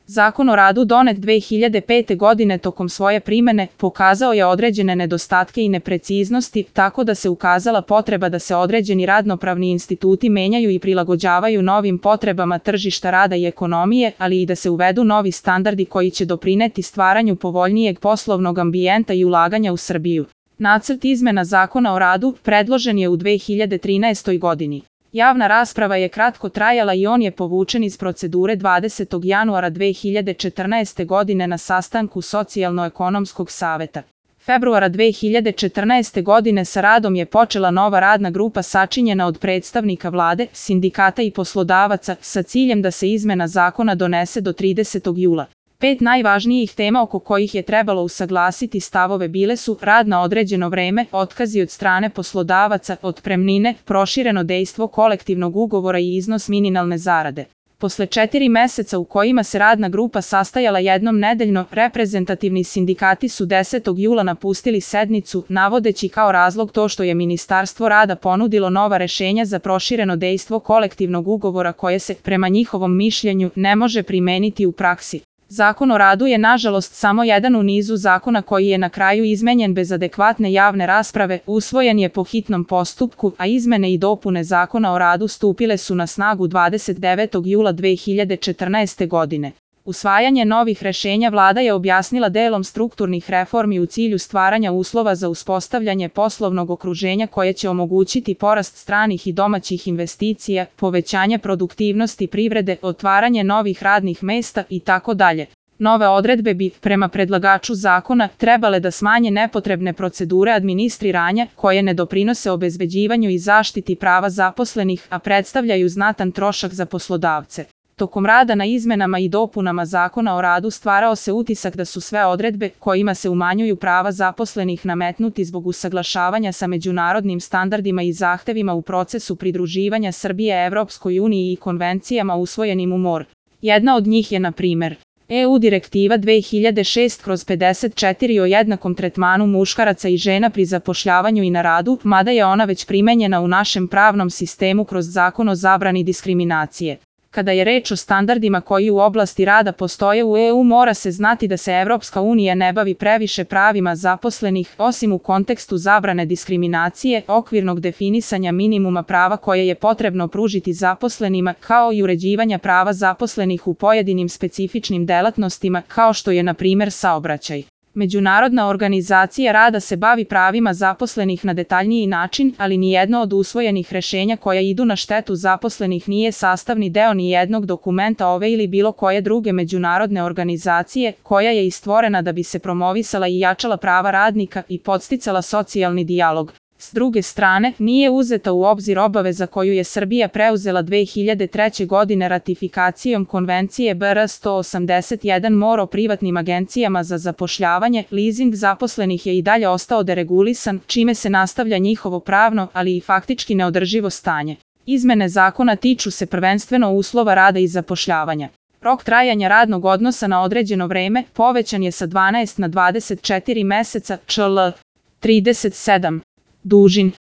Zakon o radu donet 2005. godine tokom svoje primene pokazao je određene nedostatke i nepreciznosti, tako da se ukazala potreba da se određeni radnopravni instituti menjaju i prilagođavaju novim potrebama tržišta rada i ekonomije, ali i da se uvedu novi standardi koji će doprineti stvaranju povoljnijeg poslovnog ambijenta i ulaganja u Srbiju. Nacrt izmena Zakona o radu predložen je u 2013. godini. Javna rasprava je kratko trajala i on je povučen iz procedure 20. januara 2014. godine na sastanku Socijalno-ekonomskog saveta. Februara 2014. godine sa radom je počela nova radna grupa sačinjena od predstavnika vlade, sindikata i poslodavaca sa ciljem da se izmena zakona donese do 30. jula. 5 najvažnijih tema oko kojih je trebalo usaglasiti stavove bile su rad na određeno vreme, otkazi od strane poslodavaca, otpremnine, prošireno dejstvo kolektivnog ugovora i iznos minimalne zarade. Posle 4 meseca u kojima se radna grupa sastajala jednom nedeljno, reprezentativni sindikati su 10. jula napustili sednicu, navodeći kao razlog to što je Ministarstvo rada ponudilo nova rešenja za prošireno dejstvo kolektivnog ugovora koje se, prema njihovom mišljenju, ne može primeniti u praksi. Zakon o radu je nažalost samo jedan u nizu zakona koji je na kraju izmenjen bez adekvatne javne rasprave, usvojen je po hitnom postupku, a izmene i dopune Zakona o radu stupile su na snagu 29. jula 2014. godine. Usvajanje novih rešenja vlada je objasnila delom strukturnih reformi u cilju stvaranja uslova za uspostavljanje poslovnog okruženja koje će omogućiti porast stranih i domaćih investicija, povećanje produktivnosti privrede, otvaranje novih radnih mesta itd. Nove odredbe bi, prema predlagaču zakona, trebale da smanje nepotrebne procedure administriranja koje ne doprinose obezbeđivanju i zaštiti prava zaposlenih, a predstavljaju znatan trošak za poslodavce. Tokom rada na izmenama i dopunama Zakona o radu stvarao se utisak da su sve odredbe kojima se umanjuju prava zaposlenih nametnuti zbog usaglašavanja sa međunarodnim standardima i zahtevima u procesu pridruživanja Srbije Evropskoj uniji i konvencijama usvojenim u MOR. Jedna od njih je, na primer, EU Direktiva 2006/54 o jednakom tretmanu muškaraca i žena pri zapošljavanju i na radu, mada je ona već primenjena u našem pravnom sistemu kroz Zakon o zabrani diskriminacije. Kada je reč o standardima koji u oblasti rada postoje u EU, mora se znati da se Evropska unija ne bavi previše pravima zaposlenih, osim u kontekstu zabrane diskriminacije, okvirnog definisanja minimuma prava koje je potrebno pružiti zaposlenima, kao i uređivanja prava zaposlenih u pojedinim specifičnim delatnostima, kao što je, na primer, saobraćaj. Međunarodna organizacija rada se bavi pravima zaposlenih na detaljniji način, ali nijedno od usvojenih rešenja koja idu na štetu zaposlenih nije sastavni deo nijednog dokumenta ove ili bilo koje druge međunarodne organizacije, koja je i stvorena da bi se promovisala i jačala prava radnika i podsticala socijalni dijalog. S druge strane, nije uzeta u obzir obaveza koju je Srbija preuzela 2003. godine ratifikacijom Konvencije BR 181 MOR o privatnim agencijama za zapošljavanje. Lizing zaposlenih je i dalje ostao deregulisan, čime se nastavlja njihovo pravno, ali i faktički neodrživo stanje. Izmene zakona tiču se prvenstveno uslova rada i zapošljavanja. Rok trajanja radnog odnosa na određeno vreme povećan je sa 12 na 24 meseca, čl. 37. Dužin.